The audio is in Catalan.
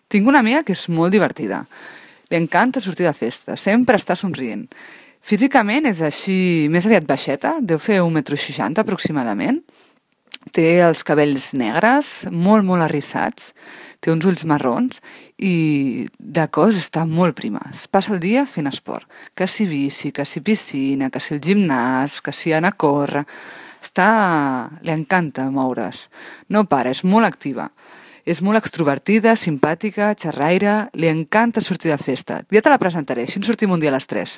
Tinc una amiga que és molt divertida. Li encanta sortir de festa, sempre està somrient. Físicament és així, més aviat baixeta, deu fer 1,60 m aproximadament. Té els cabells negres, molt, molt arrissats, té uns ulls marrons i de cos està molt prima. Es passa el dia fent esport. Que si bici, que si piscina, que si el gimnàs, que si anar a córrer. Li encanta moure's. No para, és molt activa. És molt extrovertida, simpàtica, xerraire, li encanta sortir de festa. Ja te la presentaré, així en sortim un dia a les 3.